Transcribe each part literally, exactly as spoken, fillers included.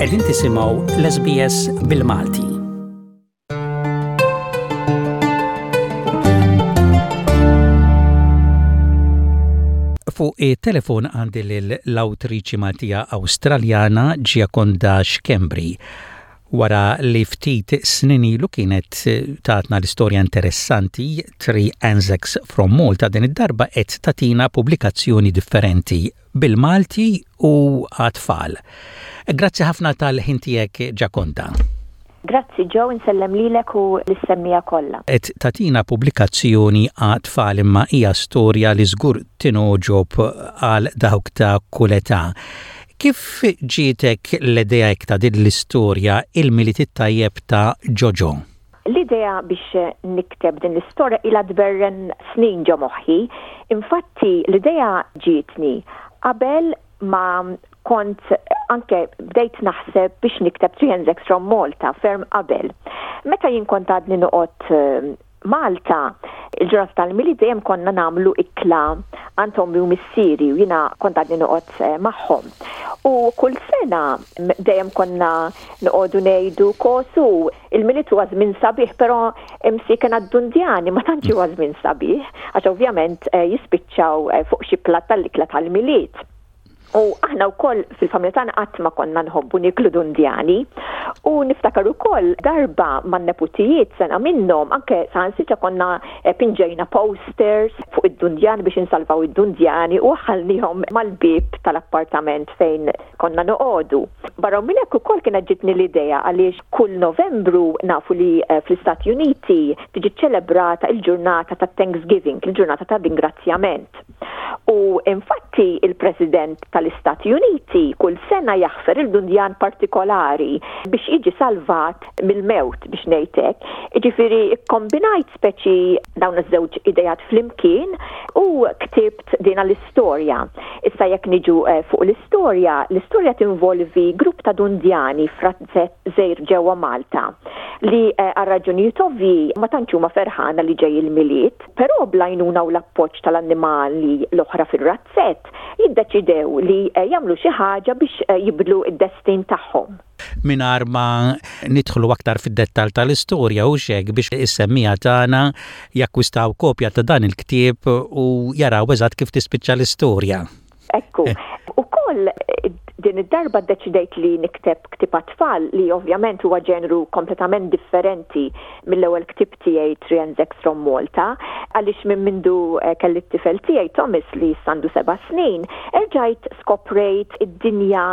Qegħdin tisimgħu l-S B S bil-Malti. Fuq it-telefon għandi l-awtriċi Maltija Awstraljana Giaconda Schembri, wara li ftit snin ilu kienet tatna l-istorja interessanti Three Anzacs from Malta. Din id-darba qed tatina pubblikazzjoni differenti bil-Malti u għat-tfal. Grazzi ħafna tal-ħin tiegħek, Giaconda. Grazzi Joe, insellem lilek u lis-semmiegħa kollha. Qed tatina pubblikazzjoni għat-tfal, imma hija storja li żgur tingħoġob għal dawk ta' kull età. Kif ġietek l-idea ta' din l-istorja, Il-Milied it-Tajjeb ta' Jojo? L-idea biex nikteb din l-istorja ila tberren snin ġo moħħi. Infatti l-idea ġietni qabel ma kont anke bdejt naħseb biex nikteb Three Anzacs from Malta, ferm qabel. Meta jien kont għadni noqgħod eh, Malta, il-ġurnata tal-Milied dejjem konna nagħmlu ikla għand ommi u missieri u jiena kont għadni noqgħod eh, magħhom. U kull sena dejjem konna noqogħdu ngħidu kosu il-Milied huwa żmien sabiħ, però imsiken għad-dundjani ma tantx huwa żmien sabiħ, għax ovvjament eh, jispiċċaw eh, fuq xi platt tal-ikla tal-Milied. U aħna wkoll fil-familja tagħna qatt ma konna nħobbu niklu dundjani. U niftakar ukoll darba man-neputijiet, sena minnhom anke saħansitra konna eh, pinġejna posters fuq id-dundjani biex insalvaw id-dundjani u ħallnihom mal-bib tal-appartament fejn konna noqogħdu. Barra minn hekk ukoll kienet ġitni l-idea għaliex kull Novembru nafu li eh, fl-Istati Uniti tiġi ċelebrata il-ġurnata ta' Thanksgiving, il-ġurnata ta' ringrazzjament. U infatti il-President tal-Istati Uniti kull sena jaħfer il-dundjan partikolari biex jiġi salvat mill-mewt, biex ngħidlek. Jiġifieri kombinajt speċi dawn iż-żewġ idejat flimkien u ktibt din l-istorja. Issa jekk niġu eh, fuq l-istorja, l-istorja tinvolvi grupp ta' dundjani f'razzett żgħir ġewwa Malta li eh, għal raġunijiet ovvji ma tantx huma ferħana li ġej il-Milied, però bl-għajnuna u l-appoġġ tal-annimali l-oħra fir-razzett jiddeċidew li eh, jagħmlu xi ħaġa biex eh, jibdlu id-destin tagħhom. Mingħajr ma nidħlu aktar fid-dettal tal-istorja u xek biex is-semmiegħa tagħna jakkwistaw kopja ta' dan il-ktieb u jaraw eżatt kif tispiċċa l-istorja. Ekku. Ukoll din id-darba ddeċidejt li nikteb ktieb tfal li ovvjament huwa ġenru kompletament differenti mill-ewwel ktieb tiegħi Three Anzacs from Malta, għaliex minn mindu eh, kelli t-tifel tiegħi Thomas li għandu seba' snin, erġajt skoprejt id-dinja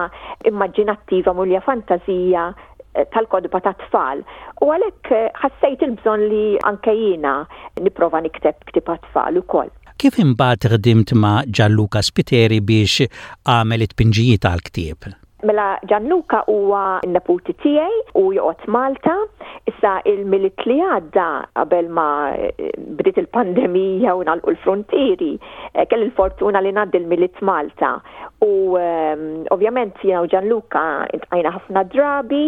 immaġinattiva mimlija fantazija eh, tal-kotba ta' tfal. U għalhekk eh, ħassejt il-bżonn li anke jiena nipprova nikteb ktieb tfal ukoll. Kif imbagħad ħdimt ma' Gianluca Spiteri biex għamel it-tpinġijiet għal-ktieb? Mela Gianluca huwa n-neputi tiegħi u joqgħod Malta. Issa il-Milied li għadda, qabel ma eh, bdiet il-pandemija u ngħalqu l-frontieri, eh, kelli l-fortuna li ngħaddi l-Milied Malta. U um, ovvjament jiena u Gianluca iltqajna ħafna drabi,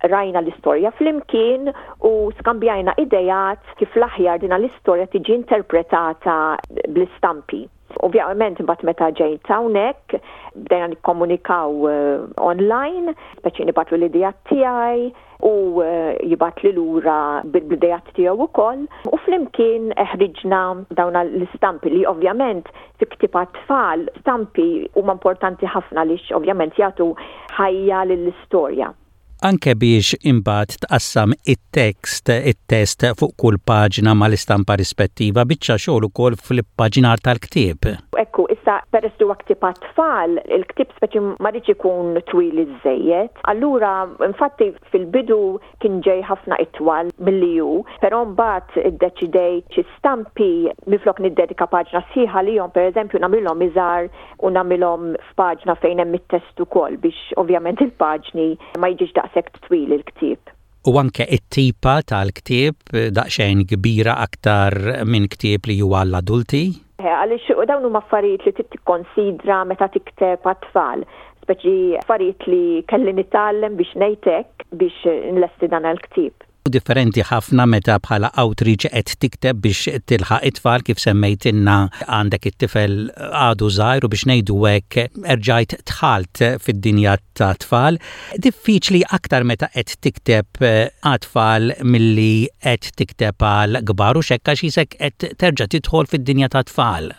rajna l-istorja flimkien u skambjajna idejat kif l-aħjar dina l-istorja tiġi interpretata bl-istampi. Ovvjament imbagħad meta ġejt hawnhekk bdejna nikkomunikaw uh, online, speċi nibgħatlu l-idejat tiegħi u uh, jibgħatli lura bil-idejat tiegħu ukoll u flimkien ħriġna dawn l-istampi li ovvjament fi ktieb tfal stampi huma importanti ħafna għaliex ovvjament jagħtu ħajja lill-istorja. Anke biex imbagħad tqassam it-tekst it-test fuq kull paġna mal-istampa rispettiva, biċċa xogħol ukoll fil-paġinar tal-ktieb. Ekku, issa peress li huwa ktieb tfal, il-ktieb speċi ma rridx ikun twil iżejjed. Allura, infatti fil-bidu kien ġej ħafna itwal milli hu, però mbagħad iddeċidejt xi stampi minflok niddedika paġna sħiħa lihom, pereżempju, nagħmilhom iżgħar u nagħmilhom f'paġna fejn hemm it-test ukoll biex ovvjament il-paġni ma jiġix daqshekk twil il-ktieb. U anke it-tipa tal-ktieb daqsxejn kbira aktar minn ktieb li huwa l-adulti? Għaliex dawn huma affarijiet li trid tikkonsidra meta tikteb għat-tfal, speċi affarijiet li kelli nitgħallem, biex ngħidlek, biex nlesti dan il-ktieb. Differenti ħafna meta bħala awtriċi qed tikteb biex tilħaq it-tfal. Kif semmejtilna, għandek it-tifel għadu żgħir u biex ngħidu hekk erġajt dħalt fid-dinja ta' tfal. Diffiċli aktar meta qed tikteb għat-tfal milli qed tikteb għal kbar u xekka xisek qed terġa' tidħol fid-dinja ta' tfal?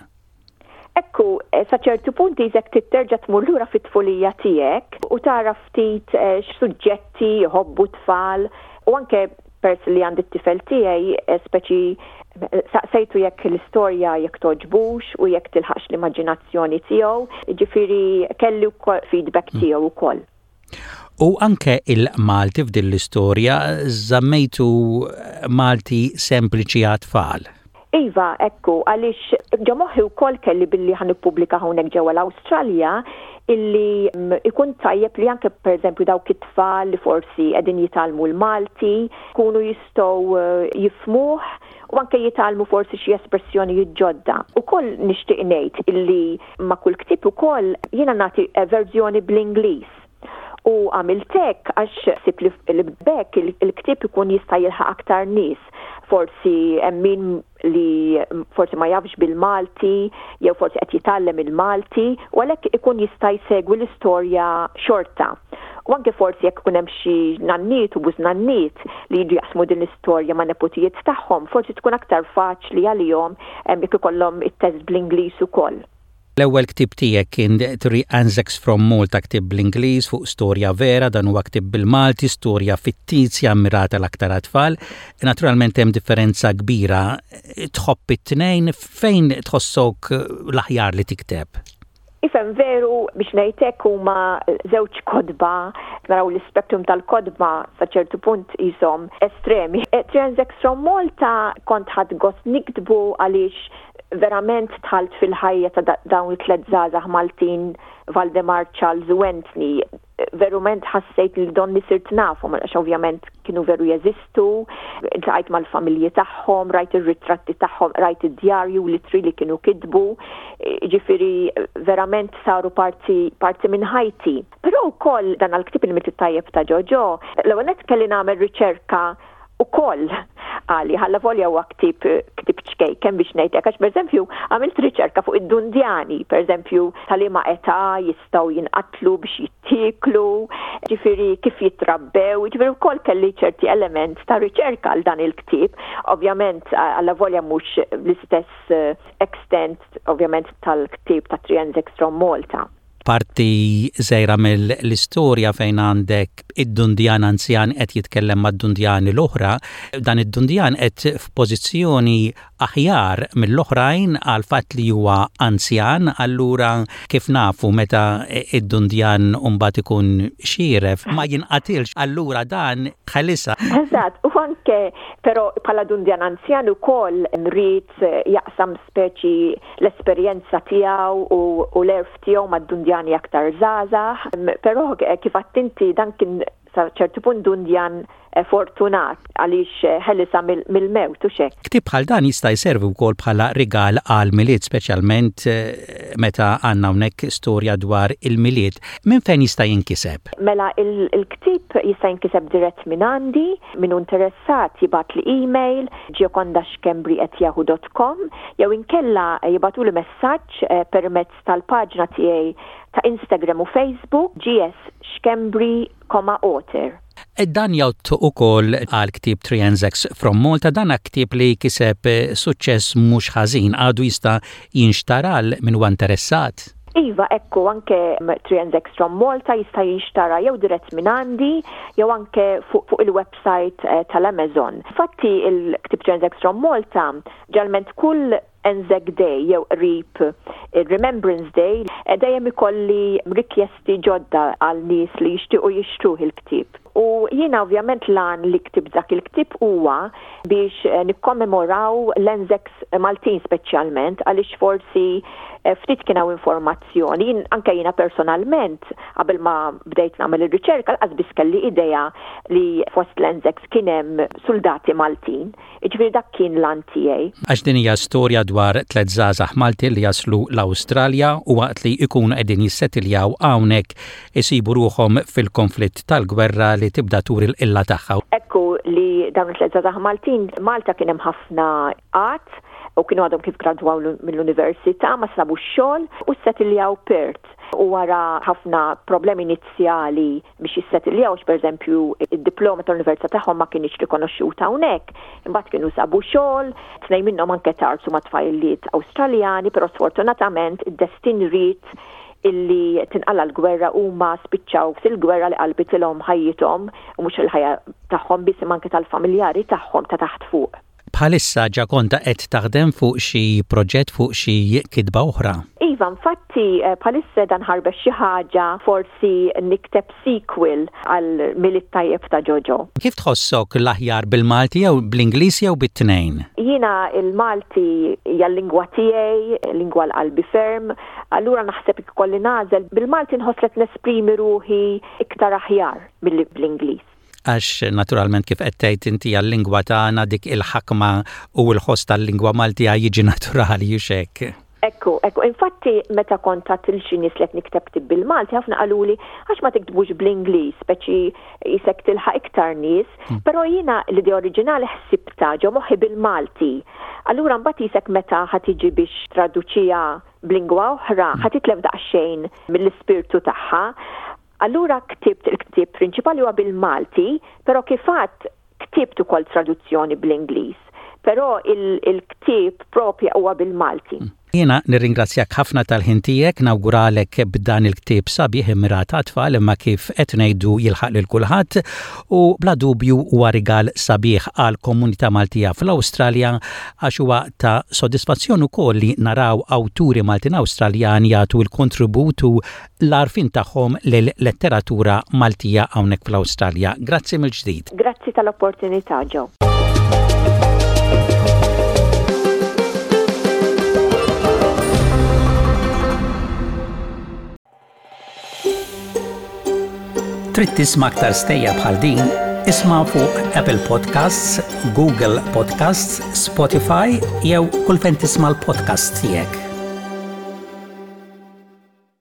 Ekku, eh, sa ċertu punti qisek terġa' tmur lura fit-tfulija tiegħek u tara ftit eh, x'suġġetti jħobbu tfal u anke peress li għandi t-tifel tiegħi, eh, speċi saqsejtu jekk l-istorja jekk togħġbux u jekk tilħaqx l-immaġinazzjoni tiegħu, ġifieri kelli wkoll feedback mm. tiegħu wkoll. U anke il-Malti f'din l-istorja żammejtu Malti sempliċi għat-tfal. Iva, ekku, għaliex ġo moħħi wkoll kelli billi ħa nippubblika hawnhekk ġewwa l-Awstralja illi mm, ikun tajjeb li anke, pereżempju, dawk it-tfal li forsi qegħdin jitgħallmu l-Malti kunu jistgħu eh, jifhmuh u anke jitgħallmu forsi xi espressjonijiet ġodda. Ukoll nixtieq ngħid illi ma' kull ktieb ukoll jiena nagħti verżjoni bl-Ingliż u għamilt hekk għax ħsibt li b'hekk il-ktieb ikun jista' jilħaq aktar nies. Forsi hemm min li forsi ma jafx bil-Malti jew forsi qed jitgħallem il-Malti u għalhekk ikun jista' jsegwi l-istorja xorta. U anke forsi jekk ikun hemm xi nanniet u bużnanniet li jiġu jaqsmu din l-istorja ma' neputijiet tagħhom, forsi tkun aktar faċli għalihom jekk ikollhom it-test bl-Ingliż ukoll. L-ewwel ktib tiegħek kien Three Anzacs from Malta, ktib bl-Ingliż fuq storja vera. Dan huwa ktib bil-Malti, storja fittizja mirata l-aktar tfal. Naturalment hemm differenza kbira. Tħobb it-tnejn? Fejn tħossok l-aħjar li tikteb? Ifhem, veru biex ngħidlek huma żewġ kotba, naraw l-spektrum tal-kotba sa ċertu punt qishom estremi. Three Anzacs from Malta kont ħadt gost niktbu għaliex verament dħalt fil-ħajja ta' dawn it-tlet żgħażagħ Maltin, Valdemar, Charles u Anthony. Verament ħassejt li donni sirt nafhom għax ovvjament kienu veru jeżistu, iltqajt mal-familji tagħhom, rajt ir-ritratti tagħhom, rajt id-djarju, l-ittri li kienu kitbu, ġifieri verament saru parti, parti minn ħajti. Però wkoll dan għal-ktib Il-Milied it-Tajjeb ta' Ġoġo, l-ewwel kelli nagħmel riċerka ukoll għali, avolja huwa ktib ktib ċkejken biex ngħidlek, għax pereżempju għamilt riċerka fuq id-dundjani, pereżempju ta' liema età jistgħu jinqatlu biex jittieklu, ġifieri kif jitrabbew, ġifieri wkoll kelli ċerti element ta' riċerka għal dan il-ktib. Ovvjament avolja mhux l-istess eh, extent ovvjament tal-ktib ta' Three Anzacs from Malta. Parti żgħira mill-istorja fejn għandek id-dundjan anzjan qed jitkellem mad-dundjani l-oħra, dan id-dundjan qed f'pożizzjoni aħjar mill-oħrajn għal fatt li huwa anzjan, allura kif nafu, meta id-dundjan mbagħad ikun xieref ma jinqatilx, allura dan ħelisha. Eżatt, u anke però bħala dundjan anzjan ukoll ried jaqsam speċi l-esperjenza tiegħu u, u l-għerf tiegħu mad-dundjani aktar żgħażagħ, però kif għedt inti, dan kien sa ċertu punt dundjan eh, fortunat għaliex eh, ħelisha mill-mewt u xek. Ktib bħal dan jista' jservi wkoll bħala rigal għal Milied, speċjalment eh, meta għandna hawnhekk storja dwar il-Milied. Minn fejn jista' jinkiseb? Mela il-ktib jista' jinkiseb dirett minn għandi, min interessat jibgħatli email giocondaschembri at yahoo dot com jew inkella jibagħtuli messaġġ permezz tal-paġna tiegħi ta' Instagram u Facebook, G S Schembri, author. E dan jgħodd ukoll għal ktib Three Anzacs from Malta, dan ktib li kiseb suċċess mhux ħażin, għadu jista' jinxtara min huwa interessat? Iva, ekku, anke Three Anzacs from Malta jista' jinxtara jew dirett minn għandi, jew anke fuq fu il-website eh, tal-Amazon. Fatti il-ktib Three Anzacs from Malta, ġalment kull Anzac Day jew qrib Remembrance Day, eh, dejjem ikolli rikjesti ġodda għal nies li jixtiequ jixtruh il-ktib. U jiena ovvjament l-għan li ktibt dak il-ktib huwa biex eh, nikkommemoraw l-Anzacs Maltin, speċjalment għaliex forsi eh, ftit kien hawn informazzjoni. Jien, anke jiena personalment, qabel ma bdejt nagħmel ir-riċerka, lanqas biss kelli idea li fost l-Anzacs kien hemm soldati Maltin. Jiġifieri dak kien l-għan tiegħi. Għax din hija storja dwar tliet żgħażagħ Malti li jaslu l-Awstralja u waqt li jkunu qegħdin jissettiljaw hawnhekk isibu ruħhom fil-konflitt tal-gwerra. li tibda turi l-qilla tagħha. Ekku li dawn it-tliet żgħażagħ Maltin, Malta kien hemm ħafna qgħad u kienu għadhom kif gradwaw mill-università, ma sabu xogħol u settiljaw Perth. U wara ħafna problemi inizjali biex jissettiljaw, per eżempju, id-diploma tal-università tagħhom ma kienx rikonoxxuta hawnhekk, imbagħad kienu sabu xogħol, tnejn minnhom anke tgħarrsu ma' tfajliet Awstraljani, però sfortunatament id-destin ried illi tinqala l-gwerra, huma spiċċaw fil-gwerra li qalbitilhom ħajjithom u mhux il-ħajja tagħhom biss, anke tal-familjari tagħhom ta' taħt fuq. Bħalissa, Ġakonda, qed taħdem fuq xi proġett, fuq xi kitba oħra? Iva, infatti eh, bħalissa dan ħarbex xi ħaġa, forsi nikteb sequel għal Milied Tajjeb ta' Jojo. Kif tħossok l-aħjar, bil-Malti jew bl-Ingliż jew bit-tnejn? Jiena il-Malti hija l-lingwa tiegħi, lingwa għal qalbi ferm, allura naħseb ikolli nagħżel bil-Malti, nħoss li nesprimi ruħi iktar aħjar milli bl-Ingliż. Għax naturalment, kif qed tgħid inti, għal-lingwa tagħna dik il-ħakma u l-ħoss tal-lingwa Maltija jiġi naturali hekk. Ekku, ekku, infatti meta kont għedt lil xi nies li qed nikteb ktieb bil-Malti, ħafna qaluli għax ma tiktbux bl-Ingliż, speċi jisek tilħaq iktar nies, hmm. però jiena l-idea oriġinali ħsibta ġo moħħi bil-Malti. Allura mbagħad jisek meta ħa tiġi biex ttraduċiha b'lingwa oħra, hmm. ħa titlef daqsxejn mill-ispirtu tagħha. Allura ktibt il-ktieb prinċipali huwa bil-Malti, però kif għedt ktibt ukoll traduzzjoni bl-Ingliż. Però il-ktieb propja huwa bil-Malti. Mm. Jiena nirringrazzjak ħafna tal-ħin tiegħek, nawguralek b'dan il-ktieb sabiħ immirat għat-tfal, imma kif qed ngħidu jilħaq lil kulħadd u bla dubju huwa rigal sabiħ għal komunità Maltija fl-Awstralja, għax huwa ta' sodisfazzjon ukoll li naraw awturi Maltin Awstraljani jagħtu l-kontribut u l-għarfien tagħhom lil-letteratura Maltija hawnhekk fl-Awstralja. Grazzi mill-ġdid. Grazzi tal-opportunità, Joe. Trid tisma' aktar stejjer bħal din? Isma' fuq Apple Podcasts, Google Podcasts, Spotify jew kull fejn tisma' l-podcast tiegħek.